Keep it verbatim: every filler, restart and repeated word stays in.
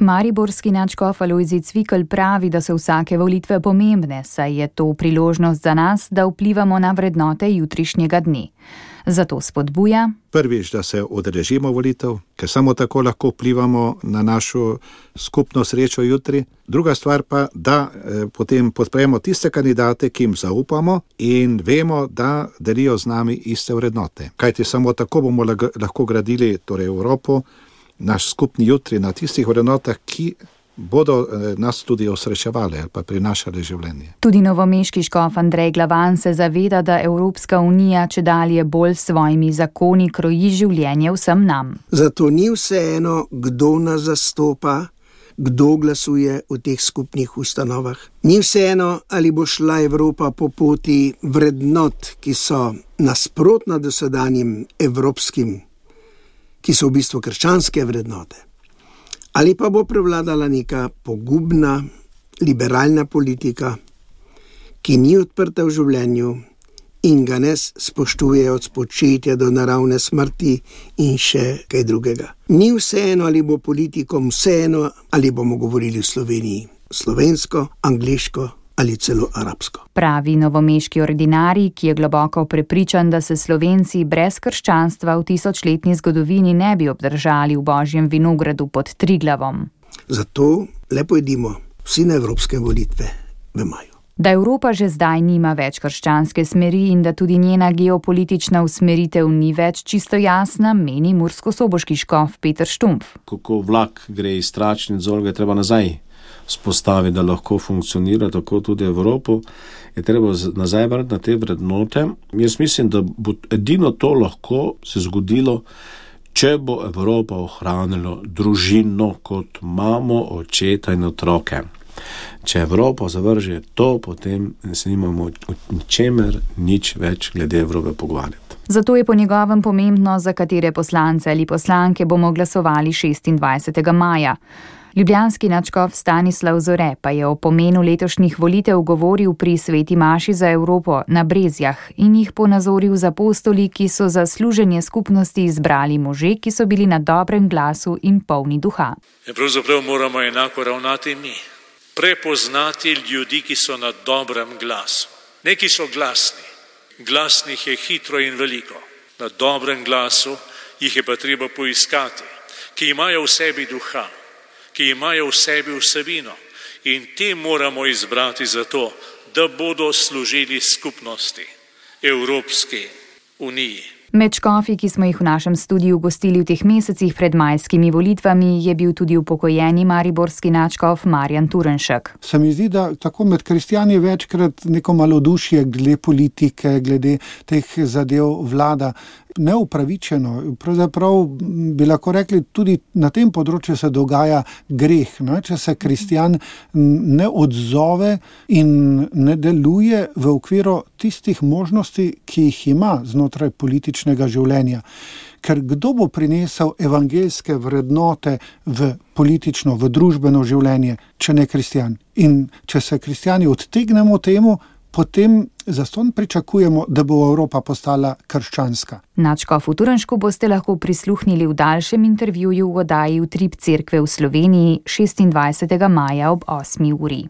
Mariborski nadškof Alojzij Cvikl pravi, da so vsake volitve pomembne, saj je to priložnost za nas, da vplivamo na vrednote jutrišnjega dne. Zato spodbuja: prvič, da se udeležimo volitev, ker samo tako lahko vplivamo na našo skupno srečo jutri. Druga stvar pa, da eh, potem podpremo tiste kandidate, ki jim zaupamo in vemo, da delijo z nami iste vrednote. Kajti samo tako bomo lahko gradili torej Evropo, naš skupni jutri na tistih vrednotah, ki bodo nas tudi osrečevali ali pa prinašali življenje. Tudi novomeški škof Andrej Glavan se zaveda, da Evropska unija čedalje bolj s svojimi zakoni kroji življenje vsem nam. Zato ni vseeno, kdo nas zastopa, kdo glasuje v teh skupnih ustanovah. Ni vseeno, ali bo šla Evropa po poti vrednot, ki so nasprotna dosedanjim evropskim, ki so v bistvu krščanske vrednote. Ali pa bo prevladala neka pogubna, liberalna politika, ki ni odprta v življenju in ga ne spoštuje od spočetja do naravne smrti in še kaj drugega. Ni vseeno, ali bo politikom vseeno, ali bomo govorili v Sloveniji slovensko, angliško ali celo arabsko. Pravi novomeški ordinarij, ki je globoko prepričan, da se Slovenci brez krščanstva v tisočletni zgodovini ne bi obdržali v Božjem vinogradu pod Triglavom. Zato le pojdimo vsi na evropske volitve v maju. Da Evropa že zdaj nima več krščanske smeri in da tudi njena geopolitična usmeritev ni več čisto jasna, meni murskosoboški škof Peter Štumpf. Kako vlak gre iz Tračnic, Zolge, treba nazaj spostavi, da lahko funkcionira tako tudi Evropo, je treba nazaj vrniti na te vrednote. Jaz mislim, da bo edino to lahko se zgodilo, če bo Evropa ohranila družino kot mamo, očeta in otroke. Če Evropa zavrže to, potem se nimamo o ničemer nič več glede Evrope pogovarjati. Zato je po njegovem pomembno, za katere poslance ali poslanke bomo glasovali šestindvajsetega maja. Ljubljanski nadškof Stanislav Zore pa je o pomenu letošnjih volitev govoril pri sveti maši za Evropo na Brezjah in jih ponazoril z apostoli, ki so za služenje skupnosti izbrali može, ki so bili na dobrem glasu in polni duha. In pravzaprav moramo enako ravnati mi. Prepoznati ljudi, ki so na dobrem glasu. Ne, ki so glasni. Glasnih je hitro in veliko. Na dobrem glasu jih je pa treba poiskati, ki imajo v sebi duha, ki imajo v sebi vsebino, in te moramo izbrati zato, da bodo služili skupnosti, Evropski uniji. Med škofi, ki smo jih v našem studiu gostili v teh mesecih pred majskimi volitvami, je bil tudi upokojeni mariborski nadškof Marjan Turnšek. Se mi zdi, da tako med kristjani večkrat neko malodušje glede politike, glede teh zadev vlada. Neupravičeno, pravzaprav bi lahko rekli, tudi na tem področju se dogaja greh, ne? Če se kristjan ne odzove in ne deluje v okviru tistih možnosti, ki jih ima znotraj političnega življenja. Ker kdo bo prinesel evangeljske vrednote v politično, v družbeno življenje, če ne kristjan? In če se kristjani odtegnemo temu, potem zastonj pričakujemo, da bo Evropa postala krščanska. Nadškofu Turnšku boste lahko prisluhnili v daljšem intervjuju v oddaji Utrip cerkve v Sloveniji šestindvajsetega maja ob osmi uri.